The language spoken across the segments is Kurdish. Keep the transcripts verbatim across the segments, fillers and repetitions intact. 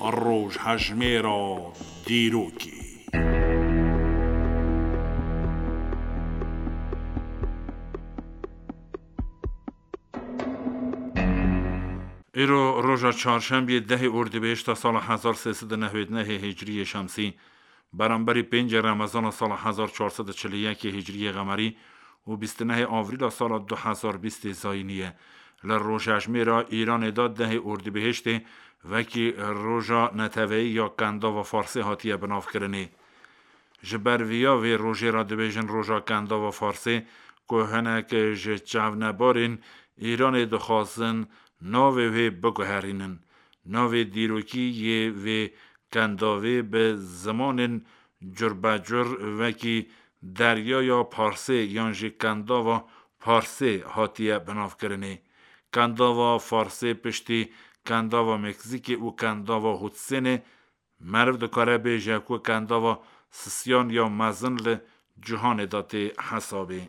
Rojhejmêra dîrokê. Îro roja çarşembiyê dehê Ordibêhişta sala hezar sê sed û newêd nehê Hicriyê Şemsî, beramberî pêncê Remezana sala hezar çar sed û çil û yekê Hicriyê Qemerî û bîst û nehê Avrîla sala du hezar bîstê Zayînî ye. Li rojhejmêra Îranê de dehê Ordibêhiştê wekî roja neteweyî ya Kendava Farsê hatiye binavkirinê. Ji ber viya vê rojê re dibêjin roja Kendava Farsê, ku hinek ji çavnebarên Îranê dixwazin navê wê biguherînin. Navê dîrokî yê vê kendavê bi zimanên curbecur wekî Deryaya Parsê yan jî Kendava Parsê hatiye binavkirinê. Kendava Farsê piştî Kendava Meksîkê û Kendava Hudsênê meriv dikare bêje ku Kendava Sisiyan ya mezin li cîhanê de tê hesabê.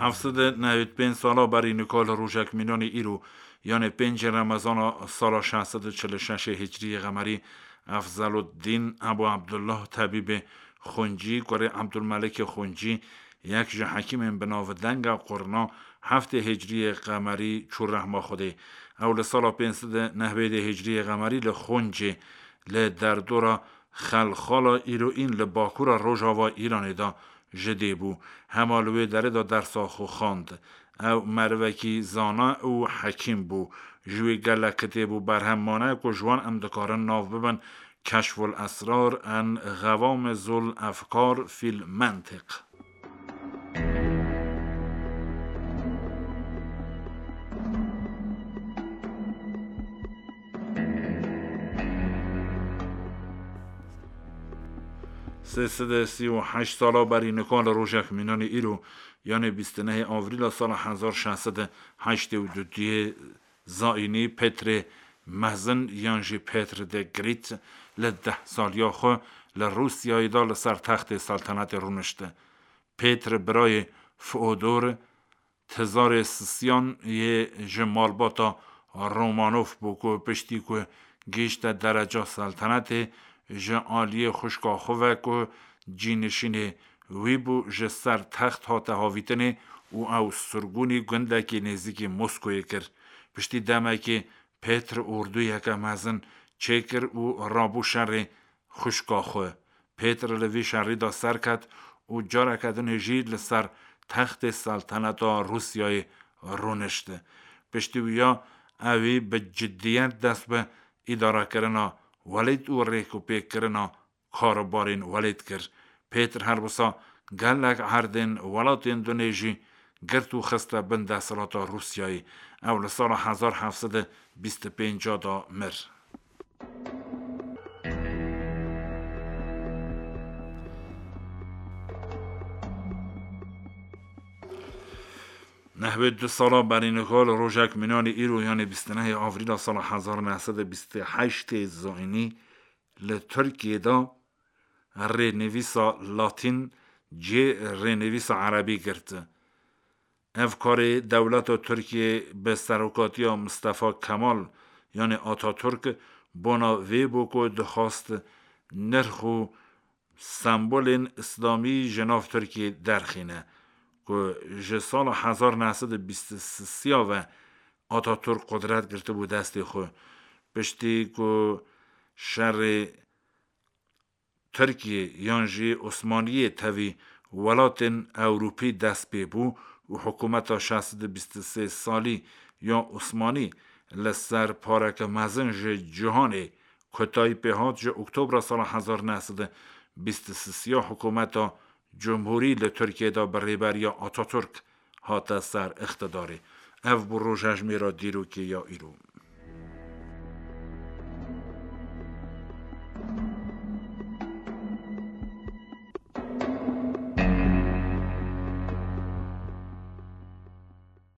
Heft sed û newêd pênc sala berî nika li rojek mînanê îro, yanê pêncê Remezana sala şeş sed û çil û şeşê Hicriyê Qemerî, Efzeluddîn Ebu Abdullah Tebîbê Xuncî, kurê Abdulmelikê Xuncî, yek ji hekîmên bi nav denga qurna, heftê Hicriyê Qemerî çû rehma Xwedê. Ew li sala pênc sed û newêdê Hicriyê Qemerî li Xuncê, li derdora Xelxala îroîn li bakura rojava Îranê de ji dê bû. Hema li wê derê de dersa xwe xwend. Ew merivekî zana û hekîm bû. Ji wê gelek kitêb û berhem mane ku ji wan em dikarin nav bibin Keşful Esrar en Xevam Zul Efkar fil Mentiq. Sê sed û sî û heşt sala berî nika li rojek mînanê îro, yanê bîst û nehê Avrîla sala hezar şeş sed û heştê û duyê Zayînî, Petrê Mezin yan jî Petr the Great li deh saliya xwe li Rûsyayê de li ser textê seltenetê rûnişt. Petr birayê Feodor, Tizarê Sisyan yê ji malbata Romanov bû ku piştî ku gihîşte dereca seltenetê, ji aliyê xwişka xwe ve ku cînişînê wî bû, ji ser text hate havîtinê û ew sirgûnî gundekî nêzîkî Moskoyê kir. Piştî demekê Petr ordûyeke mezin çêkir û rabû şerê xwişka xwe. Pêtir li vî şerî de serket û careke dinê jî li ser textê selteneta Rûsyayê rûnişt. Piştî wiya ewî bi ciddiyet dest bi îdarekirina welêt û rêkûpêkkirina karobarên welêt kir. Pêtir her wisa gelek erdên welatên dinê jî girt û xiste bin desthilata Rûsyayê. Ew li sala hezar heft sed û bîst û pênc de mir. Nehwê du sala berî niha li rojek mînanê îro, yanê bîst û nehê Avrîla sala hezar neh sed û bîst û heştê zayînî, li Tirkiyê de rênivîsa latîn cihê rênivîsa erebî girt. Ev karê dewleta Tirkiyê bi serokatiya Mistefa Kemal, yanê Ataturk, bona vê bû ku dixwast nirx û sembolên îslamî ji nav Tirkiyê derxîne, ku ji sala hezar neh sed û bîst û sisiya ve Ataturk qudret girtibû destê xwe. Piştî ku şerê Tirkiyê yan jî Osmaniyê tevî welatên Ewropî dest pê bû û hikûmeta şeş sed û bîst û sê salî ya Osmanî li ser pareke mezin ji cîhanê kotayî pê hat, ji Oktobra sala hezar neh sed û bîst û sisiya hikûmeta cumhurî li Tirkiyê de bi rêberiya Ataturk hate ser îqtidarê. Ev bû rojhejmêra dîrokê ya îro.